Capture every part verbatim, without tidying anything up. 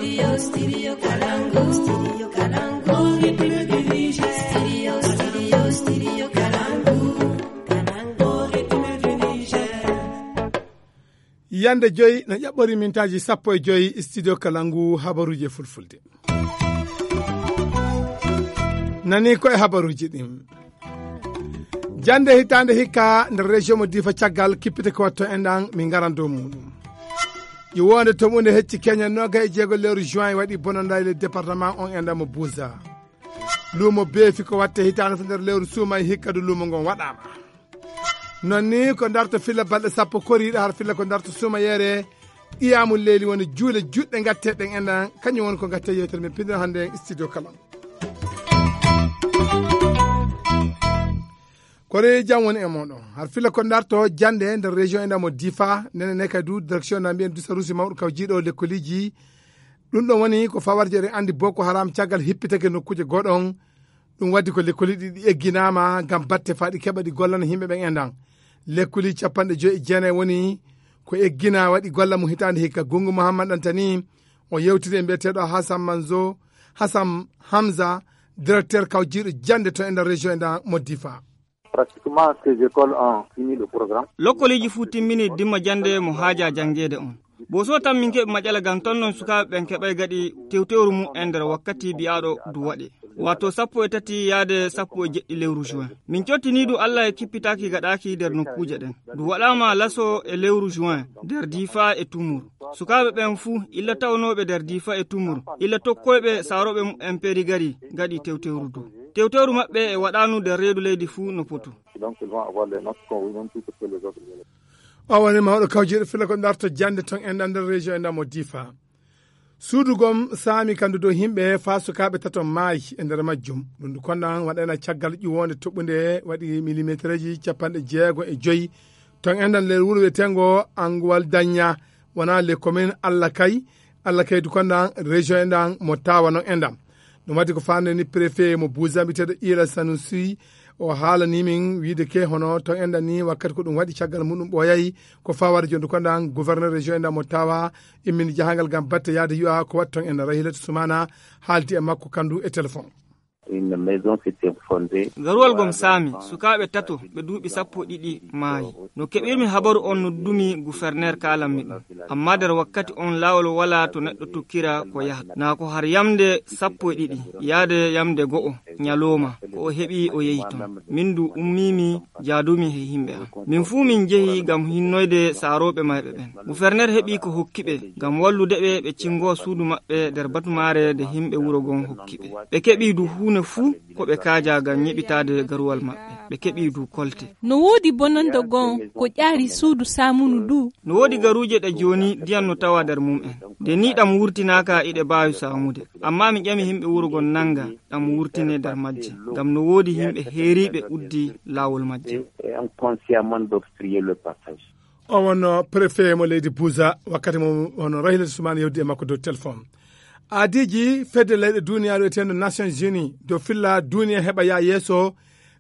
studio, studio Kalangu, studio Kalangu, République du Niger. Studio, studio, studio Kalangu, Kalangu, République du Niger. Yande joyi na ƴaɓɓori mintaji sappo e joyi studio Kalangu habaruji fulfulde. Nani ko e habaruji ɗin. Jande hitande hikka nder région mo Difa caggal kippite ko watto enɗan min garan dow muɗum. Ƴiwonde to munde hecci Kenya noga e jeego lewru juin waɗi bonanda le département on enɗan mo Bouza. Lumo beefi ko watte hitande to nder lewru suuma e hikka du lumo ngon waɗama. Non ni ko darto filla balɗe sappo koriɗo har filla ko darto suuma yere iyamu leeli woni juule juɗɗe gatteɗen enɗan kañum woni ko gatte yewtere min pindira hande studio Kalangu. Kore jam woni e moɗon har fila ko darto jande nder région enda mo Difa nene ne kadu direction na mbiyen dusarusi mawɗo kaw jiiɗo lekkoliji ɗum ɗon woni ko fawarje ɗen andi Boko Haram caggal hippitake nokkuje goɗon ɗum waddi ko lekkoliji ɗi egginama gam batte faɗi keɓa ɗi gollana himɓe ɓen endan lekkoli capanɗe joyi e jeenayi woni ko eggina waɗi golla mo hitande hikka Gungu Mouhammad Antani o yewtide e mbiyeteɗo Hassan Manzo Hassan Hamza directeur kaw jiiɗo jande to enda région enda mo Difa. Pratiquement ces écoles ont fini le programme. Lokkoliji fu timmini dimma jande mo haaja jangede on. Bo so tan min keɓe maƴala gam ton non sukaɓe ɓen keɓay gaɗi tewtewru mum e nder wakkati biyaɗo du waɗi. Wato sappo e tati yaade sappo e jeɗɗi lewru juin. Min cottinidu Allah e kippitaki gaɗaki nder nokkuje ɗen. Du waɗama laso e lewru juin nder Difa e Tumur. Sukaɓe ɓen fuu illa tawnoɓe nder Difa e Tumur illa tokkoyɓe saroɓe mum en peri gari gaɗi tewtewru du. Tewtewru maɓɓe e waɗanu nder reedu leydi fuu no poto. O woni mawɗo kawjiɗo fila ko darto jande ton enɗan nder région enɗan mo Difa. Suudugom saami kandu dow himɓe fa sukaɓe taton maayi e nder majjum ɗum konɗan waɗana caggal ƴiwonde toɓɓude waɗi millimétre ji capanɗe jeego e joyi ton enɗan nder wuro wiyetengo Anguwal Dagna wona les communes Allah Kay Allah Kay du konɗan région enɗan mo Tawa non enɗan ɗum waddi ko fande ni préfet mo Bouza mbiteɗo Ila Sanusi o haalani min wiide ke hono to enɗan ni wakkati ko ɗum waɗi caggal muɗum ɓooyayi ko fawade jonde konɗan gouverneur région enɗan mo Tawa immini jahangal gam batte yaade yiwa ko waɗi ton enɗan Rahilatu Soumana haaldi e makko kandu e téléphone. Une maison s'était fondée. Garuwal gom saami sukaɓe tato ɓe duuɓi sappo ɗiɗi maayi no keɓirmi habaru on no dumi gouverneur kalanmi ɗum amma nder wakkati on laawol wala to neɗɗo tokkira ko yahata na ko har yamde sappo e ɗiɗi yaade yamde go'o nyaloma ko o heɓi o yehi ton min du ummimi jaadumi he himɓe am min fuu min jehi gam hinnoyde saaroɓe mayɓe ɓen gouverneur heɓi ko hokkiɓe gam wallude ɓe ɓe cingo suudu maɓɓe nder batumare de himɓe wuro gon hokkiɓe ɓe keɓi du huune fuu ko ɓe kaaja gam ñiɓitade garuwal maɓɓe ɓe keɓi du kolte. No woodi bononda gon ko ƴaari suudu samunu du. No woodi garuje ɗe joni ndiyam no tawa nder mum'en nde ni ɗam wurtinaka iɗe baawi samude amma mi ƴami himɓe wuro gon nanga ɗam wurtine nder majje gam no woodi himɓe heeriɓe uddi laawol majje. O wonno préfet mo leydi Bouza wakkati mo hono Rahilatu Soumana yewdi e makko dow téléphone. Adiji fedde leyɗe duniyaru etendo Nations Unies dow filla duniya heɓa ya yeeso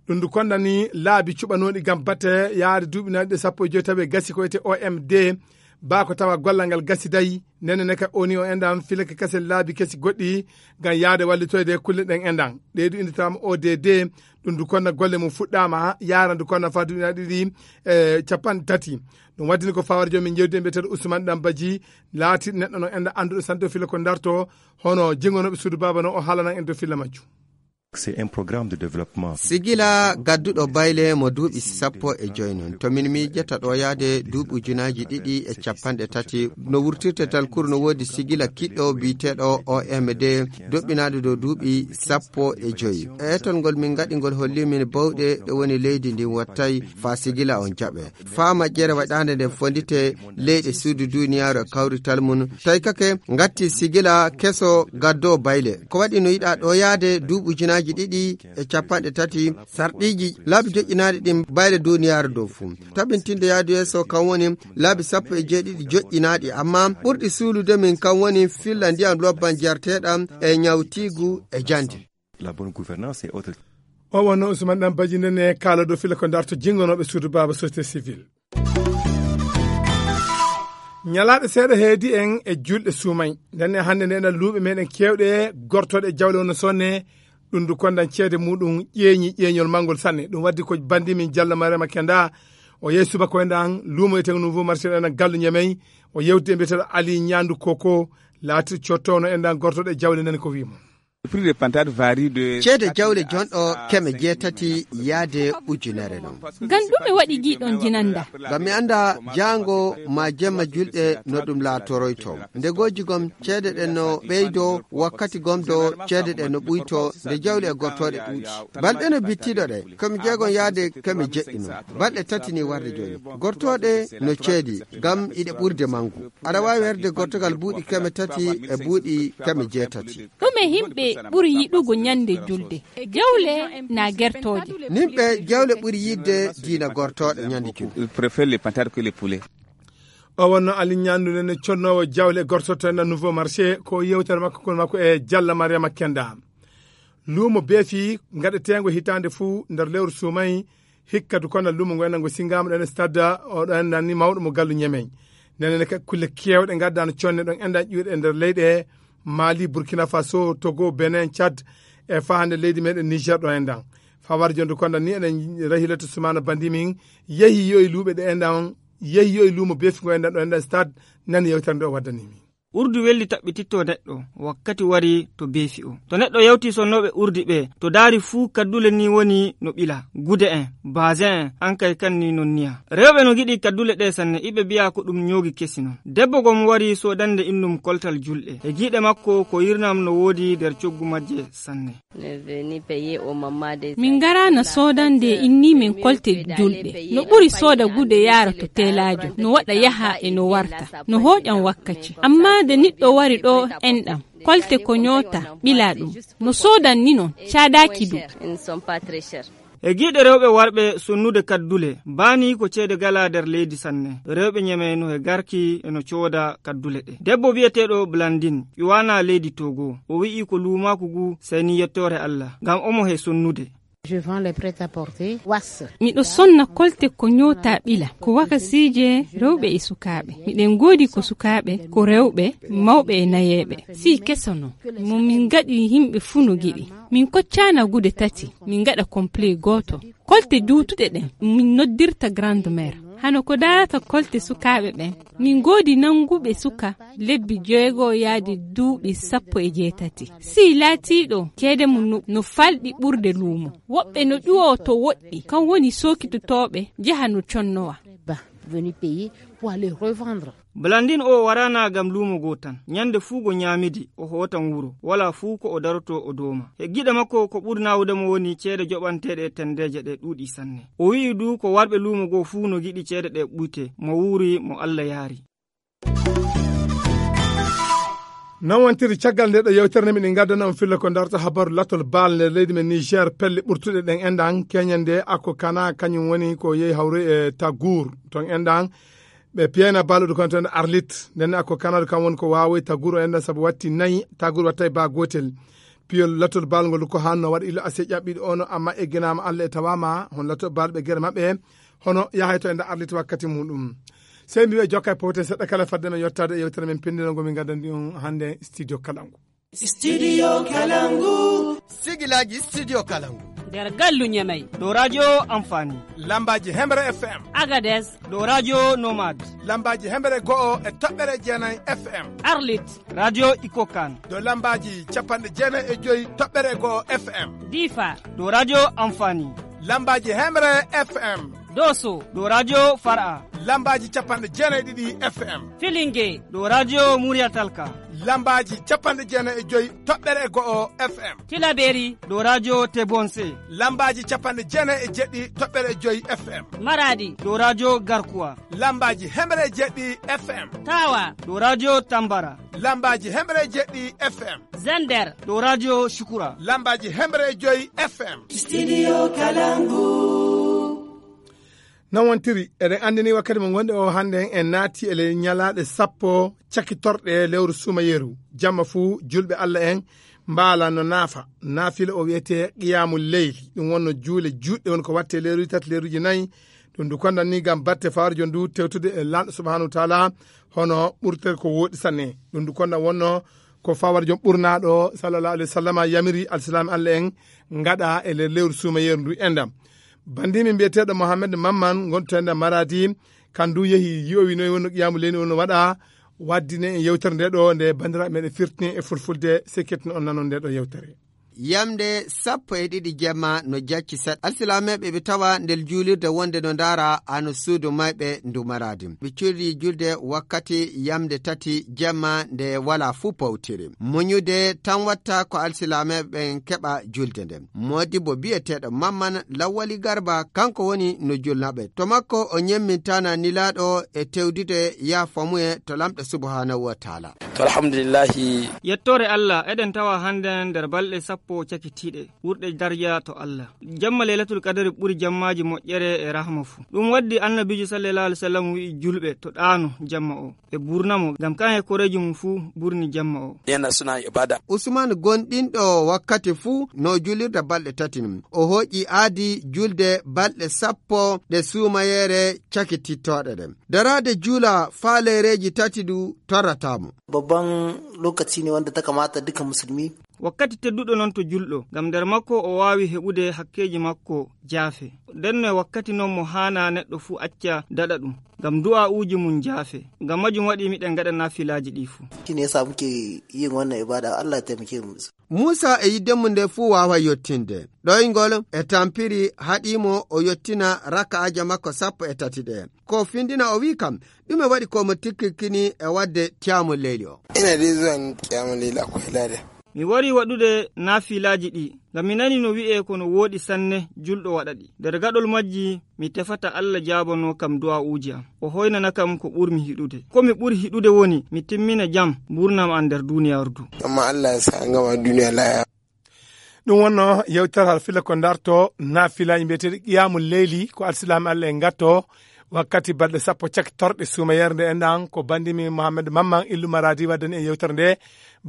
ɗum ndu kondani laabi cuɓanoɗi gam batte yaade duuɓinaɗe sappo e joyi tawi gasi ko wiyete O M D bako tawa gollal ngal gasi dayi nene neka oni o endan filake kase laabi kesi goɗɗi gam yaade wallitoyde kulle ɗen endan ɗeɗu inditama O D D ɗum ndu konna golle mum fuɗɗama yara ndu konna fa duuɓinaɗe ɗiɗi e capanɗe tati ɗum waddini ko fawar joni min jewdi mbiyeteɗo Ousmane Dambaji laati neɗɗo no enda anduɗo santo fila ko darto hono jengonoɓe suudu baba no o haalanan en dow filla majjum. C'est un programme de développement. Sigila gadduɗo bayle mo duuɓi sappo e joyi non to min miijata ɗo yaade duuɓi ujunaji ɗiɗi e capanɗe tati no wurtirte talkuru no woodi sigila kiɗɗo biyeteɗo O M D doɓɓinaɗo dow duuɓi sappo e joyi e etolngol min gaɗi ngol holli min bawɗe ɗe woni leydi ndin wattay fa sigila on jaɓe fa majjere waɗande nde fondite leyɗe suudu duniyaru e kawrital mum tawi kake gatti sigila keso gaddo bayle ko waɗi no yiɗa ɗo yaade duuɓi ujunaji ɗiɗi e capanɗe tati sarɗiji laabi joƴƴinaɗi ɗin bayle duniyaaru dow fuu tabintinde yaadu yeeso kan woni laabi sappo e jeeɗiɗi joƴƴinaɗi amma ɓurɗi suulude min kan woni filla ndiyam lobban jarteɗam e ñawtigu e jande. La bonne gouvernance et autres. O wonno Ousmane Dambaji nene kaala dow filla ko darto jingonoɓe suudu baba société civile. ñalaaɗe seeɗa heedi en e julɗe suumay nden hannde nde ɗan luuɓe meɗen kewɗe gortoɗe jawle ono sonne ɗum du kondan ceede muɗum ƴeeñi ƴeeñol mangol sanne ɗum waddi ko bandi min Diallo Mariama Kenda o yehi subaka enɗan luumo e nouveau marché ɗan gallu ñamey o yewti e mbiyeteɗo Ali Ñandu Koko laati cottono enɗan gortoɗe jawle nani ko wimo ceede jawle jonɗo keme jeetati yaade ujunere non ngam ɗume waɗi giɗon jinanda ngam mi anda jango ma jemma julɗe no ɗum laatoroyto nde goji gom ceede ɗen no ɓeydo wakkati gomdo ceede ɗen no ɓuyto nde jawle e gortoɗe ɗuuɗi balɗe no bittiɗo ɗe komi jeegon yaade keme jeɗɗino balɗe tati ni warde joni gortoɗe no ceedi ngam iɗe ɓurde mangu aɗa wawi herde gortogal buuɗi keme tati e buuɗi keme jeetati ɗume himɓe ɓuri yiɗugo ñande julde jawle na gertoje nimɓe jawle ɓuri yidde diina gortoɗe ñande julde o wonno Ali Ñandu nene connowo jawle gortoto en nouveau marché ko yewtere makko kon makko e Diallo Mariama Kenda luumo beefi gaɗetengo hitande fuu nder lewru suumay hikkatu kono luumo ngo enango singama ɗen stade oɗo endanni mawɗo mo gallu ñamey nenene kadi kulle kewɗe gaddano conne ɗon enɗan ƴuuɗe e nder leyɗe Mali, Burkina Faso, Togo, Benin, Tchad e fahande leydi meɗen Niger ɗo enɗan fawar jonde konda ni eɗen rahilato sumana bandi min yehi yo e luuɓe ɗe enɗan yehi yo e luumo beefi ngo enɗan ɗo enɗan stade nani yewtere nde o waddanimi urdu welli taɓɓititto neɗɗo wakkati wari to beefi o to neɗɗo yewti sonnoɓe urdi ɓe to daari fuu kaddule ni woni no ɓila gude en basin en ankay kanni non niya rewɓe no giɗi kaddule ɗe sanne iɓe biya ko ɗum ñoogi kesi non debbo gom wari sodande innum koltal julɗe e giiɗe makko ko yirnam no woodi nder coggu majje sanne min garano sodande inni min kolte julɗe no ɓuri soda gude yaara to telajo no waɗa yaha e no warta no hoƴan wakkati amma de niɗɗo wari ɗo enɗam kolte ko nyota ɓila ɗum no sodan ni non cadaki du e giiɗe rewɓe warɓe sonnude kaddule bani ko ceede gala nder leydi sanne rewɓe ñemeno e garki eno cooda kaddule ɗe debbo wiyeteɗo Blandine ƴuwana leydi Togo o wi'i ko luumaku gu sayni yettore Allah ngam omo he sonnude Je vends les prêt-à-porter. Was. Miɗo sonna kolte ko nyota ɓila ko wakasije rewɓe e sukaɓe. Miɗen godi ko sukaɓe ko rewɓe mawɓe e nayeɓe. Si kesano mo min gaɗi himɓe fu no giɗi. Min koccana gude tati min gaɗa complet goto. Kolte duutuɗe ɗen min noddirta grande mère. Hano ko darata kolte sukaɓe ɓen min godi nanguɓe suka lebbi jeego yaadi duuɓi sappo e jeetati si laatiɗo ceede mum no falɗi ɓurde luumo woɓɓe no ƴuwo to woɗɗi kan woni sokitotoɓe jaha no connowa Blandine o warana gam luumo go tan ñande fuu go ñaamidi o hotan wuro wala fuu ko o daroto o dooma e giɗe makko ko ɓurnawudemo woni ceede joɓanteɗe e tendeje ɗe ɗuuɗi sanne o wi'i du ko warɓe luumo go fuu no giɗi ceede ɗe ɓuyte mo wuuri mo Allah yaari non wontiri caggal nde ɗo yewtere nde miɗen gaddana on filla ko darta habaru latol baal nder leydi men Niger pelle ɓurtuɗe ɗen enɗan keñande akko kana kañum woni ko yehi hawre e Tagour ton enɗan ɓe piyana balluɗo kon toon Arlit nden akko kanadu kam woni ko wawoy Tagour o enɗan saabu watti nayyi Tagour watta e ba gotel piyol latol baal ngol ko hanno waɗa ilo ase ƴaɓɓiɗo ono amma egginama Allah e tawama hon latol baal ɓe guere mabɓe hono yahay to enɗan Arlit wakkati muɗum sey mbiɓe jokka e powte seɗɗa kala fadde men yettade e yewtere men pendinogo min gaddandi on hande studio Kalangu studio Kalangu sigilaji studio Kalangu nder gallu ñamay ɗo radio amfani lambaji hemre F M Agadez ɗo radio nomade lambaji hemre go'o e toɓɓere jeenayi F M Arlit radio ikokan ɗo lambaji capanɗe jeenayi e joyi toɓɓere go'o F M Difa ɗo radio amfani lambaji hemre F M Doso ɗo radio Far'a lambaji capanɗe jeenayi ɗiɗi F M Filingue ɗo radio Muria Talka lambaji capanɗe jeenayi e joyi toɓɓere go'o F M Tilaberi ɗo radio Tebonse lambaji capanɗe jeenayi e jeɗɗi toɓɓere e joyi F M Maradi ɗo radio Garkuwa lambaji hemre jeɗɗi F M Tawa ɗo radio Tambara lambaji hemre jeɗɗi F M Zender ɗo radio Shukura lambaji hemre e joyi F M studio Kalangu non wontiri eɗen andini wakkati mo gonɗe o hande en naati ele ñalaɗe sappo cakkitorɗe lewru sumayeru jamma fuu julɓe Allah en mbaala no naafa naafila o wiyete qiyamul leyli ɗum wonno juule juɗɗe won ko watte leeruji tati leeruji nayyi ɗum ndu konnan ni gam batte fawarjo ndu tewtude e lanɗo subhanahu wa taala hono ɓurtel ko woɗi sanne. ɗum ndu konnan wonno ko fawarjo ɓurnaɗo sallallahu alaihi wa sallam yamiri alsilami allah en gaɗa e nder lewru sumayeru ndu endam. bandimi mbiyeteɗo mohammed mamman gonto enda maradi kandu yeehi yowi noyi wonno qiyamu leyni wonno waɗa waddine e yewtere nde ɗo nde bandiraɓe meɗen firtini e fulfulde sekketino on nanon nde ɗo yewtere. yamde sappo e ɗiɗi jemma no jacci set alsilameɓe ɓe tawa nder juulirde wonde no ndaara ano suudu mayɓe ndu maradi ɓe cuuri julde wakkati yamde tati jemma nde wala fuu pawtiri muñude tan watta ko alsilameɓen keɓa julde nden modibo biyeteɗo mamman lawwali garba kanko woni no julnaɓe to makko o nyemmintana nilaɗo e tewdude ya famuye to lamɗo subhanahu wa taala. to alhamdulillahi yettore allah eɗen tawa hande nder balɗe sappo cakitiɗe ɓurɗe darja to Allah. Jamma lailatul qadari ɓuri jammaji moƴƴere e rahma fu. ɗum waddi annabijo sallallahu alaihi wasallam wi julɓe to ɗano jamma o ɓe burnamo gam kan e koreji mum fu burni jamma o. yana suna ibada. Usman gonɗinɗo wakkati fu no julirde balɗe tati o hoƴi aadi julde balɗe sappo ɗe sumayere cakitittoɗe ɗen darade jula falereji tati du torratamo. babban lokaci ne wanda ta kamata duka musulmi wakkati tedduɗo noon to julɗo gam nder makko o wawi heɓude hakkeji makko jaafe nden no wakkati noon mo hana neɗɗo fuu acca daɗa ɗum gam du'a uji mum jaafe gam majum waɗi miɗen gaɗa nafilaji ɗi fuu shine yasa muke yin wannan ibada Allah ya taimake mu. Musa e yiddemu nde fuu wawa yottinde ɗoygol e tampiri haɗimo o yottina raka'aja makko sappo e tati ɗe ko findina o wi kam ɗume waɗi komo tikkikkini e wadde tiyamu leyli o. ina dai zuwa tiyamu leyli akwai lada mi wari waɗude nafilaji ɗi gam mi nani no wi'e kono woɗi sanne julɗo waɗa ɗi nder gaɗol majji mi tefata Allah jabono kam du'a uji am o hoynana kam ko ɓurmi hiɗude ko mi ɓuri hiɗude woni mi timmina jam burnam an nder duniyaru du amma Allah ya sa ngama duniya laya. ɗum wonno yewtere halfilla ko darto nafilaji mbiyeteɗi qiyamul leyli ko alsilami Allah en gatto wakkati balɗe sappo caktorɗe sumayere nde enɗan ko bandimi mohammed mamman illu maradi waddani e yewtere nde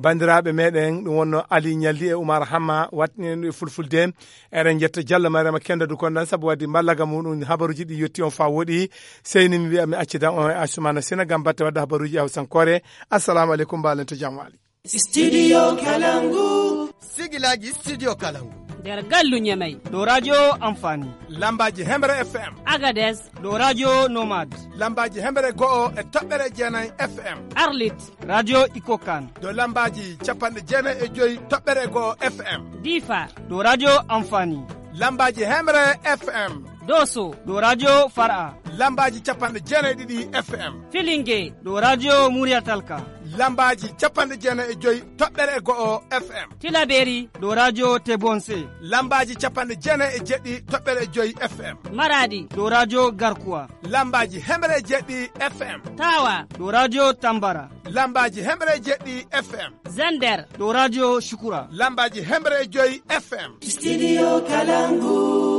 bandiraɓe meɗen ɗum wonno ali ñalli e oumar hamma watni ɗum e fulfulde eɗen jetta diallo mariama kenda du konɗan saabu wadde mallaga muɗum habaruji ɗi yetti on fa woɗi seyni mi wiya mi accidan on e asumana sina gam batte wadde habaruji hawsankore assalamu aleykum mbalen to jam wali. Studio Kalangu sigilaji studio Kalangu nder gallu ñamay ɗo radio amfani lambaji hemre F M agades ɗo radio nomade lambaji hemre go'o e toɓɓere jeenayi F M arlit radio ikokan ɗo lambaji capanɗe jeenayi e joyi toɓɓere go'o F M difa ɗo radio amfani lambaji hemre F M doso ɗo radio far'a lambaji capanɗe jeenayi ɗiɗi F M filingue ɗo radio muriyatalka lambaji capanɗe jeenayi e joyi toɓɓere go'o F M tilaberi ɗo radio tebonse lambaji capanɗe jeenayi e jeɗɗi toɓɓere e joyi F M maradi ɗo radio garkuwa lambaji hemre jeɗɗi F M tawa ɗo radio tambara lambaji hemre jeɗɗi F M zander ɗo radio shukura lambaji hemre e joyi F M Studio Kalangu